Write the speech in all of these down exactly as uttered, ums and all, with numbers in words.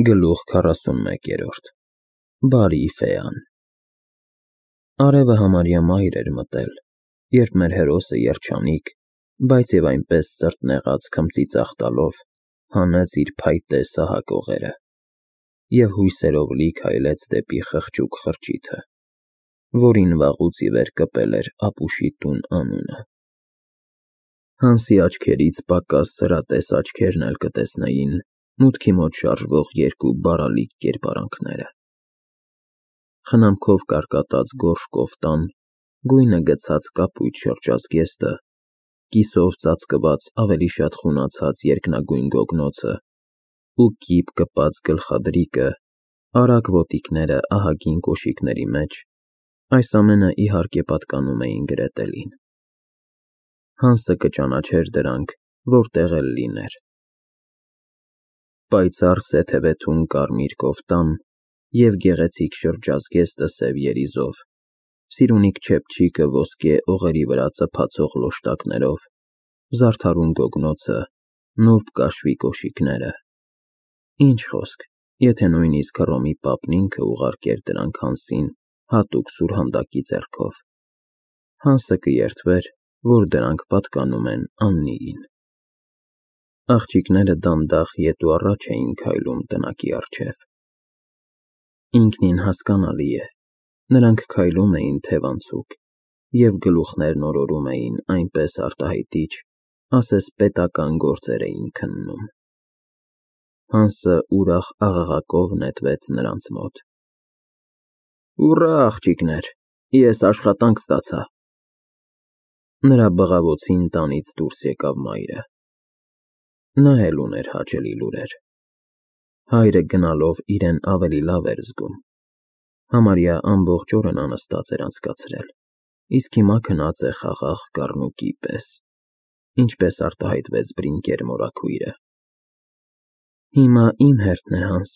Գլուխ քառասունմեկերորդ Բարի ֆեան Արևը համարյա մայր էր մտել, երբ մեր հերոսը երջանիկ, բայց և այնպես սրտնեղած քմծիծաղ տալով հանեց իր փայտե սահակողերը և հույսերով լի քայլեց դեպի խղճուկ խրճիթը, որին վաղուց ի վեր կպել էր ապուշի տուն անունը։ Հանսի աչքերից պակաս սրատես աչքերն էլ կտեսնեին մուտքի մոտ շարժվող երկու բարալիկ կերպարանքները։ Խնամքով կարկատած գորշ կոֆտան, գույնը գցած կապույտ շրջազգեստը, կիսով ծածկված ավելի շատ խունացած երկնագույն գոգնոցը ու կիպ կպած գլխադրիկը, արագ ոտիկները ահագին կոշիկների մեջ, այս ամենը իհարկե պատկանում էին Գրետելին։ Հանսը կճանաչեր դրանք, որտեղ էլ լիներ։ Պայծառ սեթևեթուն կարմիր կոֆտան և գեղեցիկ շրջազգեստը սև երիզով, սիրունիկ չեպչիկը ոսկե օղերի վրա ծփացող լոշտակներով, զարդարուն գոգնոցը, նուրբ կաշվի կոշիկները… Ինչ խոսք, եթե նույնիսկ Հռոմի պապն ինքը ուղարկեր դրանք Հանսին հատուկ սուրհանդակի ձեռքով, Հանսը կերդվեր, որ դրանք պատկանում են Աննիին։ Աղջիկները դանդաղ ետ ու առաջ էին քայլում տնակի առջև։ Ինքնին հասկանալի է, նրանք քայլում էին թևանցուկ և գլուխներն օրորում էին այնպես արտահայտիչ, ասես պետական գործեր էին քննում։ Հանսը ուրախ աղաղակով նետվեց նրանց մոտ։ Ուռա, աղջիկներ, ես աշխատանք ստացա։ Նրա բղավոցին տանից դուրս եկավ մայրը։ Նա էլ ուներ հաճելի լուրեր։ Հայրը գնալով իրեն ավելի լավ էր զգում։ Համարյա ամբողջ օրը նա նստած էր անցկացրել, իսկ հիմա քնած է խաղաղ կառնուկի պես, ինչպես արտահայտվեց Բրինկեր մորաքույրը։ Հիմա իմ հերթն է, Հանս,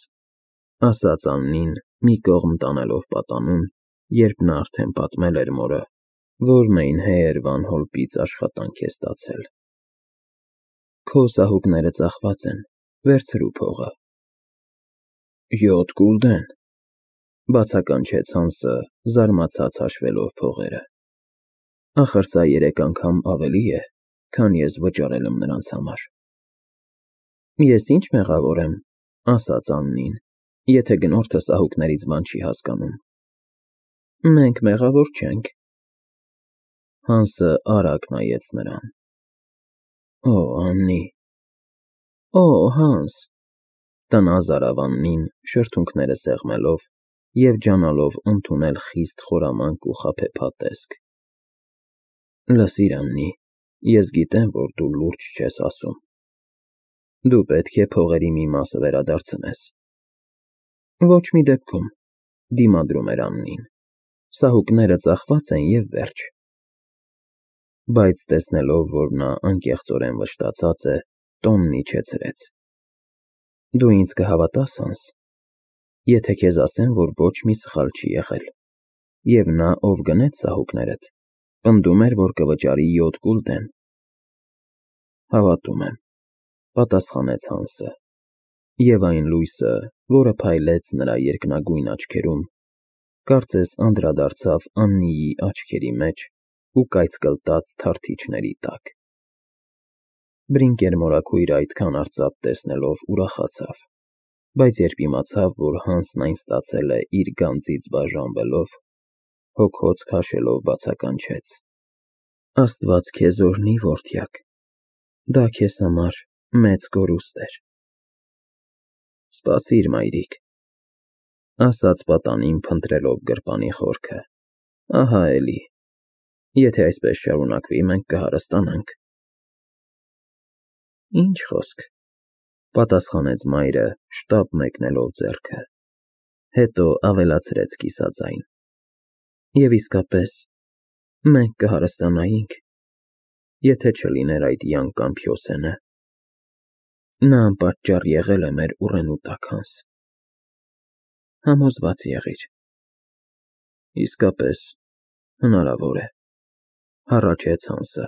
ասաց Աննին, մի կողմ տանելով պատանուն, երբ նա արդեն պատմել էր մորը, որ Մեյնհեյր Վան Հոլպից աշխատանք է ստացել։ Քո սահուկները ծախված են, վերցրու փողը։ Յոթ գուլդեն, բացականչեց Հանսը, զարմացած հաշվելով փողերը։ Ախր սա երեք անգամ ավելի է, քան ես վճարել եմ նրանց համար։ Ես ինչ մեղավոր եմ, ասաց Աննին, եթե գնորդը սահուկներից բան չի հասկանում։ Մենք մեղավոր չենք։ Հանսը արագ նայեց նրան։ Օ, Աննի… Օ, Հանս… տնազ արավ Աննին, շրթունքները սեղմելով և ջանալով ընդունել խիստ խորամանկ ու խաբեբա տեսք։ Լսիր, Աննի, ես գիտեմ, որ դու լուրջ չես ասում։ Դու պետք է փողերի մի մասը վերադարձնես։ Ոչ մի դեպքում, դիմադրում էր Աննին, սահուկները ծախված են և վերջ։ Բայց տեսնելով, որ նա անկեղծորեն վշտացած է, տոնն իջեցրեց։ Դու ինձ կհավատա՞ս, Հանս, եթե քեզ ասեմ, որ ոչ մի սխալ չի եղել, և նա, ով գնեց սահուկներդ, պնդում էր, որ կվճարի յոթ գուլդեն։ Հավատում եմ, պատասխանեց Հանսը, և այն լույսը, որը փայլեց նրա երկնագույն աչքերում, կարծես անդրադարձավ Աննիի աչքերի մեջ ու կայծկլտաց թարթիչների տակ։ Բրինկեր մորաքույրը այդքան արծաթ տեսնելով ուրախացավ, բայց երբ իմացավ, որ Հանսն այն ստացել է իր գանձից բաժանվելով, հոգոց քաշելով բացականչեց. Աստված քեզ օրհնի, որդյակ, դա քեզ համար մեծ կորուստ էր։ Սպասիր, մայրիկ, ասաց պատանին, փնտրելով գրպանի խորքը, ահա էլի, եթե այսպես շարունակվի, մենք կհարստանանք։ Ինչ խոսք, պատասխանեց մայրը, շտապ մեկնելով ձեռքը, հետո ավելացրեց կիսաձայն. Եվ իսկապես, մենք կհարստանայինք, եթե չլիներ այդ յանկամ Փյոսենը։ Նա անպատճառ եղել է մեր ուռենու տակ, Հանս։ Համոզված եղիր։ Իսկապես, հնարավոր է, հառաչեց Հանսը։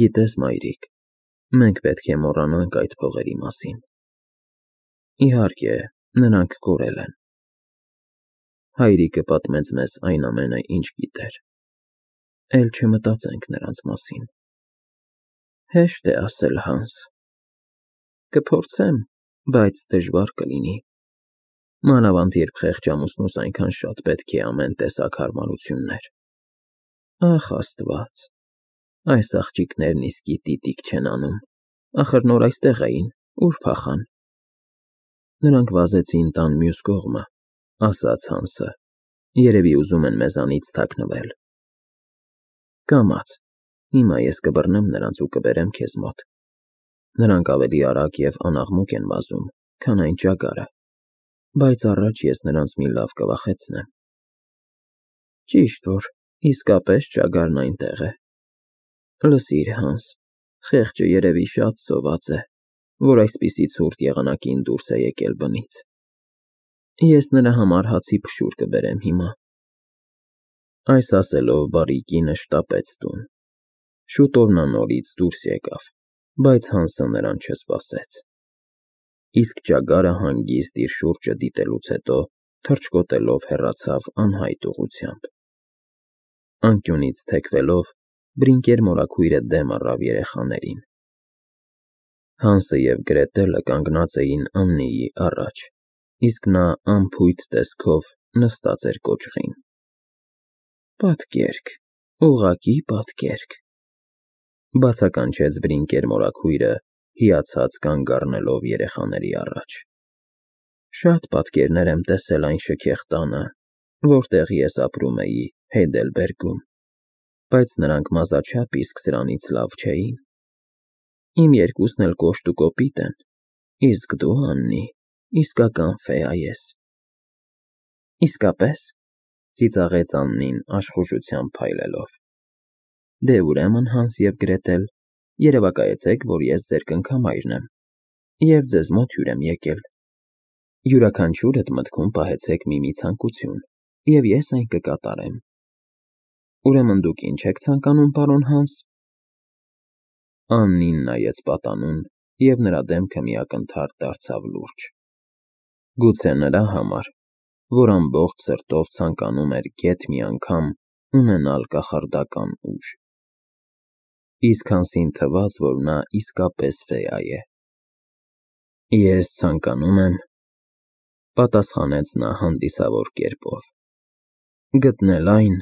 Գիտես, մայրիկ, մենք պետք է մոռանանք այդ փողերի մասին։ Իհարկե, նրանք կորել են։ Հայրիկը պատմեց մեզ այն ամենը, ինչ գիտեր։ Էլ չմտածենք նրանց մասին։ Հեշտ է ասել, Հանս։ Կփորձեմ, բայց դժվար կլինի։ Մանավանդ երբ խեղճ ամուսնուս այնքան շատ պետք է ամեն տեսակ հարմարություններ։ Ախ, Աստված, այս աղջիկներն իսկի տիտիկ չեն անում, ախր նոր այստեղ էին, ուր փախան։ Նրանք վազեցին տան մյուս կողմը, ասաց Հանսը, երևի ուզում են մեզանից թաքնվել։ Կամաց, հիմա ես կբռնեմ նրանց ու կբերեմ քեզ մոտ։ Նրանք ավելի արագ և անաղմուկ են վազում, քան այն ճագարը, բայց առաջ ես նրանց մի լավ կվախեցնեմ։ Ճիշտ որ, իսկապես ճագարն այնտեղ է։ Լսիր, Հանս, խեղճը երևի շատ սոված է, որ այսպիսի ցուրտ եղանակին դուրս է եկել բնից։ Ես նրա համար հացի փշուր կբերեմ հիմա։ Այս ասելով բարի կինը շտապեց տուն։ Շուտով նա նորից դուրս եկավ, բայց Հանսը նրան չսպասեց։ Իսկ ճագարը հանգիստ իր շուրջը դիտելուց հետո թռչկոտելով հեռացավ անհայտ ուղղությամբ։ Անկյունից թեքվելով, Բրինկեր մորաքույրը դեմ առավ երեխաներին։ Հանսը և Գրետելը կանգնած էին Աննիի առաջ, իսկ նա անփույթ տեսքով նստած էր կոճղին։ Պատկերք, ուղղակի պատկերք, բացականչեց Բրինկեր մորաքույրը, հիացած կանգ առնելով երեխաների առաջ։ Շատ պատկերներ եմ տեսել այն շքեղ տանը, որտեղ ես ապրում էի Հեյդելբերգում, բայց նրանք մազաչափ իսկ սրանից լավ չէին։ Իմ երկուսն էլ կոշտ ու կոպիտ են, իսկ դու, Աննի, իսկական ֆեա ես։ Իսկապե՞ս, ծիծաղեց Աննին աշխուժությամբ փայլելով։ Դե ուրեմն, Հանս և Գրետել, երևակայեցեք, որ ես ձեր կնքամայրն եմ, և ձեզ մոտ հյուր եմ եկել։ Յուրաքանչյուրդ մտքում պահեցեք մի-մի ցանկություն, և ես այն կկատարեմ։ Ուրեմն դուք ի՞նչ եք ցանկանում, պարոն Հանս։ Աննին նայեց պատանուն, և նրա դեմքը մի ակնթարթ դարձավ լուրջ։ Գուցե նրա համար, որ ամբողջ սրտով ցանկանում էր գեթ մի անգամ ունենալ կախարդական ուժ։ Իսկ Հանսին թվաց, որ նա իսկապես ֆեա է։ Ես ցանկանում եմ, պատասխանեց նա հանդիսավոր կերպով, գտնել այն,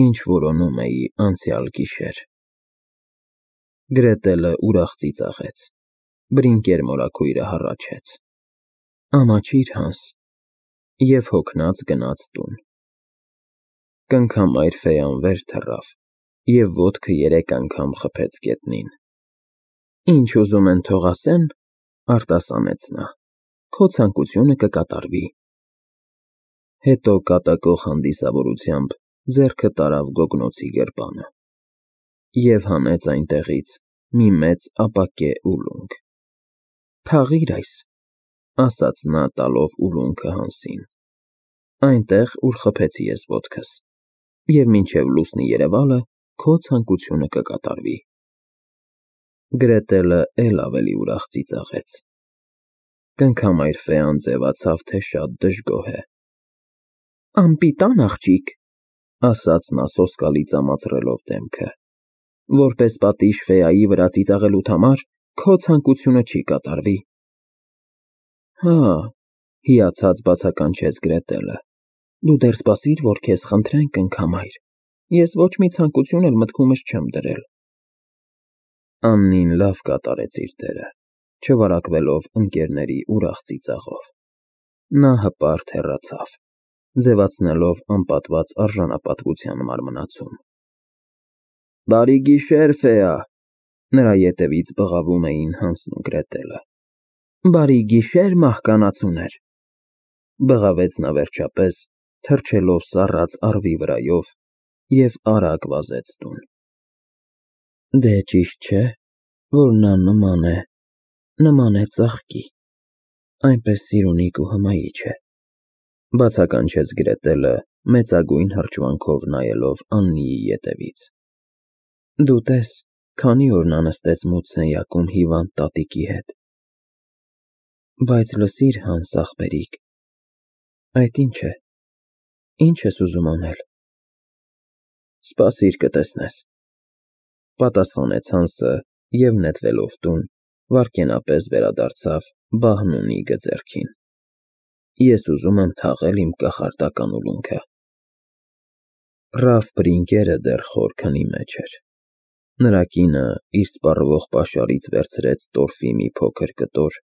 ինչ որոնում էի անցյալ գիշեր։ Գրետելը ուրախ ծիծաղեց, Բրինկեր մորաքույրը հառաչեց։ Ամաչիր, Հանս, և հոգնած գնաց տուն։ Կնքամայր ֆեան վեր թռավ և ոտքը երեք անգամ խփեց գետնին։ Ինչ ուզում են թող ասեն, արտասանեց նա, քո ցանկությունը կկատարվի։ Հետո կատակող հանդիսավորությամբ ձեռքը տարավ գոգնոցի գրպանը և հանեց այնտեղից մի մեծ ապակե ուլունք։ Թաղիր այս, ասաց նա տալով ուլունքը Հանսին, այնտեղ, ուր խփեցի ես ոտքս, և մինչև լուսնի երևալը քո ցանկությունը կկատարվի։ Գրետելը էլ ավելի ուրախ ծիծաղեց։ Կնքամայր ֆեան ձևացավ, թե շատ դժգոհ է։ Անպիտան աղջիկ, ասաց նա սոսկալի ծամացրելով դեմքը, որպես պատիժ ֆեայի վրա ծիծաղելուդ համար քո ցանկությունը չի կատարվի։ Հա, հիացած բացականչեց Գրետելը, դու դեռ սպասիր, որ քեզ խնդրեն, կնքամայր, ես ոչ մի ցանկություն էլ մտքումս չեմ դրել։ Աննին լավ կատարեց իր դերը, չվարակվելով ընկերների ուրախ ծիծաղով։ Նա հպարտ հեռացավ, ձևացնելով անպատված արժանապատվության մարմնացում։ Բարի գիշեր, ֆեա, նրա ետևից բղավում էին Հանսն ու Գրետելը։ Բարի գիշեր, մահկանացուներ, բղավեց նա վերջապես, թռչելով սառած առվի վրայով և արագ վազեց տուն։ Դե ճիշտ չէ, որ նա նման է, նման է ծաղկի, այնպես սիրունիկ ու հմայիչ է, բացականչեց Գրետելը, մեծագույն հրճվանքով նայելով Աննիի ետևից։ Դու տես, քանի օր նա նստեց մութ սենյակում հիվանդ տատիկի հետ։ Բայց լսիր, Հանս ախպերիկ, այդ ի՞նչ է, ի՞նչ ես ուզում անել։ Սպասիր կտեսնես, պատասխանեց Հանսը և նետվելով տուն, վայրկենապես վերադարձավ բահն ու նիգը ձեռքին։ Ես ուզում եմ թաղել իմ կախարդական ուլունքը։ Ռաֆ Բրինկերը դեռ խոր քնի մեջ էր։ Նրա կինը իր սպառվող պաշարից վերցրեց տորֆի մի փոքր կտոր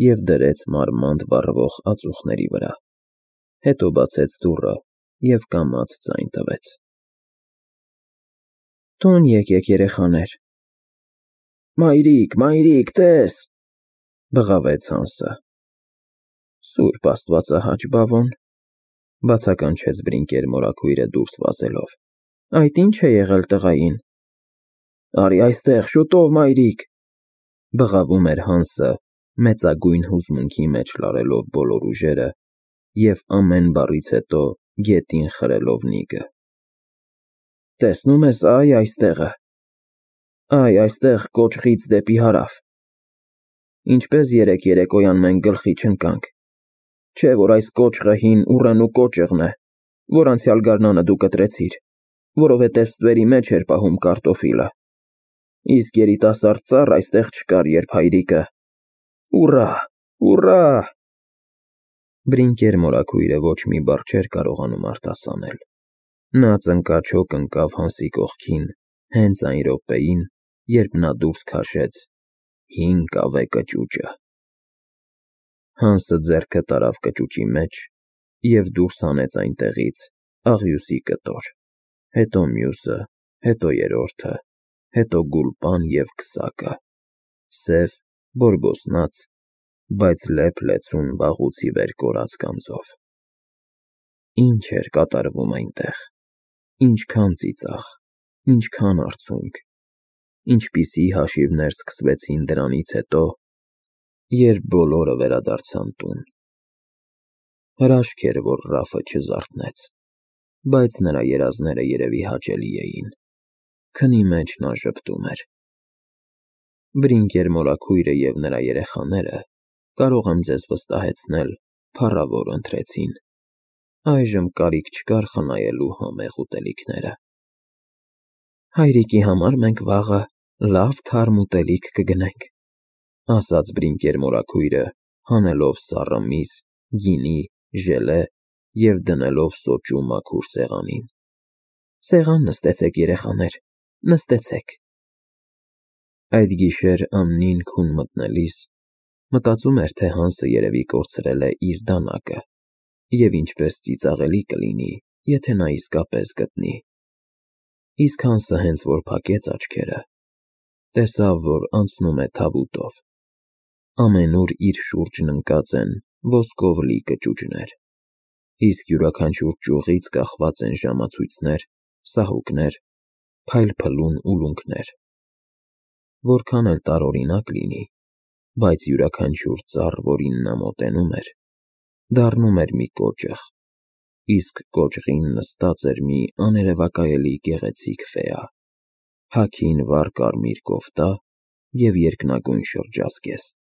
և դրեց մարմանդ վառվող ածուխների վրա, հետո բացեց դուռը և կամաց ձայն տվեց։ Տուն եկեք, երեխաներ։ Մայրիկ, մայրիկ, տես, բղավեց Հանսը։ Սուրբ Աստվածահաճ բավոն, բացականչեց Բրինկեր մորաքույրը դուրս վազելով, այդ ի՞նչ է եղել տղային։ Արի այստեղ, շուտով, մայրիկ, բղավում էր Հանսը, մեծագույն հուզմունքի մեջ լարելով բոլոր ուժերը և ամեն բառից հետո գետին խրելով նիգը։ Տեսնում ես, այ այստեղը, այ այստեղ կոճղից դեպի հարավ։ Ինչպես երեկ երեկոյան մենք գլխի չընկանք, չէ՞ որ այս կոճղը հին ուռենու կոճղն է, որ անցյալ գարնանը դու կտրեցիր, որովհետև ստվերի մեջ էր պահում կարտոֆիլը, իսկ երիտասարդ ծառ այստեղ չկար, երբ հայրիկը… Ուռա, ուռա… Բրինկեր մորաքույրը ոչ մի բառ չէր կարողանում արտասանել։ Նա ծնկաչոք ընկավ Հանսի կողքին հենց այն րոպեին, երբ նա դուրս քաշեց հին կավե կճուճը։ Հանսը ձեռքը տարավ կճուճի մեջ և դուրս հանեց այնտեղից աղյուսի կտոր, հետո մյուսը, հետո երրորդը, հետո գուլպան և քսակը, սև, բորբոսնած, բայց լեփ֊լեցուն վաղուց ի վեր կորած գանձով։ Ինչ էր կատարվում այնտեղ, ինչքան ծիծաղ, ինչքան արցունք, ինչպիսի հաշիվներ սկսվեցին դրանից հետո, երբ բոլորը վերադարձան տուն։ Հրաշք էր, որ Ռաֆը չզարթնեց, բայց նրա երազները երևի հաճելի էին, քնի մեջ նա ժպտում էր։ Բրինկեր մորաքույրը և նրա երեխաները, կարող եմ ձեզ վստահեցնել, փառավոր ընթրեցին, այժմ կարիք չկար խնայելու համեղ ուտելիքները։ Հայրիկի համար մենք վաղը լավ թարմ ուտելիք կգնենք, ասաց Բրինկեր մորաքույրը, հանելով սառը միս, գինի, ժելե և դնելով սոճու մաքուր սեղանին։ Սեղան նստեցեք, երեխաներ, նստեցեք։ Այդ գիշեր ամնին քուն մտնելիս մտածում էր, թե Հանսը երևի կորցրել է իր դանակը և ինչպես ծիծաղելի կլինի, եթե նա իսկապես գտնի։ Իսկ Հանսը հենց որ փակեց աչքերը, տեսավ, որ անցնում է թավուտով։ Ամենուր իր շուրջն ընկած են ոսկով լի կճուճներ, իսկ յուրաքանչյուր ճյուղից կախված են ժամացույցներ, սահուկներ, փայլփլուն ուլունքներ։ Որքան էլ տարօրինակ լինի, բայց յուրաքանչյուր ծառ, որին նա մոտենում էր, դառնում էր մի կոճղ, իսկ կոճղին նստած էր մի աներևակայելի գեղեցիկ ֆեա, հագին վառ կարմիր կոֆտա և երկնագույն շրջազգեստ։